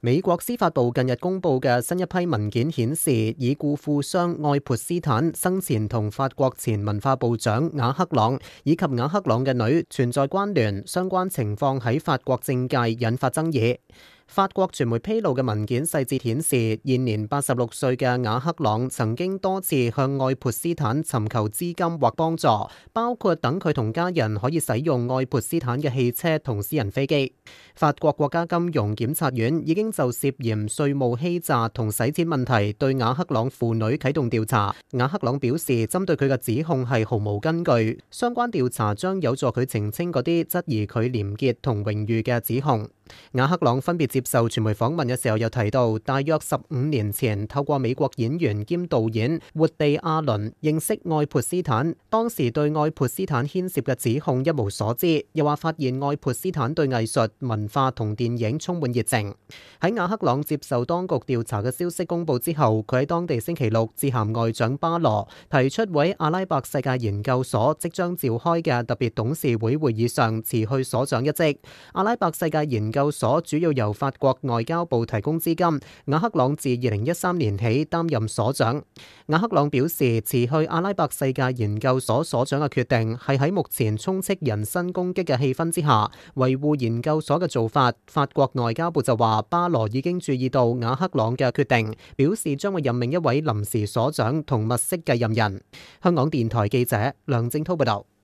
美國司法部近日公布嘅新一批文件顯示，已故富商愛潑斯坦生前同法國前文化部長瓦克朗以及瓦克朗嘅女存在關聯，相關情況喺法國政界引發爭議。法國傳媒披露嘅文件細節顯示，現年86歲嘅瓦克朗曾經多次向愛潑斯坦尋求資金或幫助，包括等佢同家人可以使用愛潑斯坦嘅汽車同私人飛機。法國國家金融檢察院已經就涉嫌稅務欺詐同洗錢問題對瓦克朗父女啟動調查。瓦克朗表示，針對佢嘅指控係毫無根據，相關調查將有助佢澄清嗰啲質疑佢廉潔同榮譽嘅指控。瓦克朗分別接受傳媒訪問嘅時候，又提到，大約15年前透過美國演員兼導演活地亞倫認識愛潑斯坦，當時對愛潑斯坦牽涉嘅指控一無所知，又話發現愛潑斯坦對藝術、文化同電影充滿熱情。喺瓦克朗接受當局調查嘅消息公佈之後，佢喺當地星期六致函外長巴羅，提出喺阿拉伯世界研究所即將召開嘅特別董事會會議上辭去所長一職。阿拉伯世界研究所主要由法國外交部提供資金，瓦克朗自2013年起擔任所長。瓦克朗表示，辭去阿拉伯世界研究所所長嘅決定係喺目前充斥人身攻擊嘅氣氛之下，維護研究所嘅做法。法國外交部就話，巴羅已經注意到瓦克朗嘅決定，表示將會任命一位臨時所長同物色繼任人。香港電台記者梁正滔報道。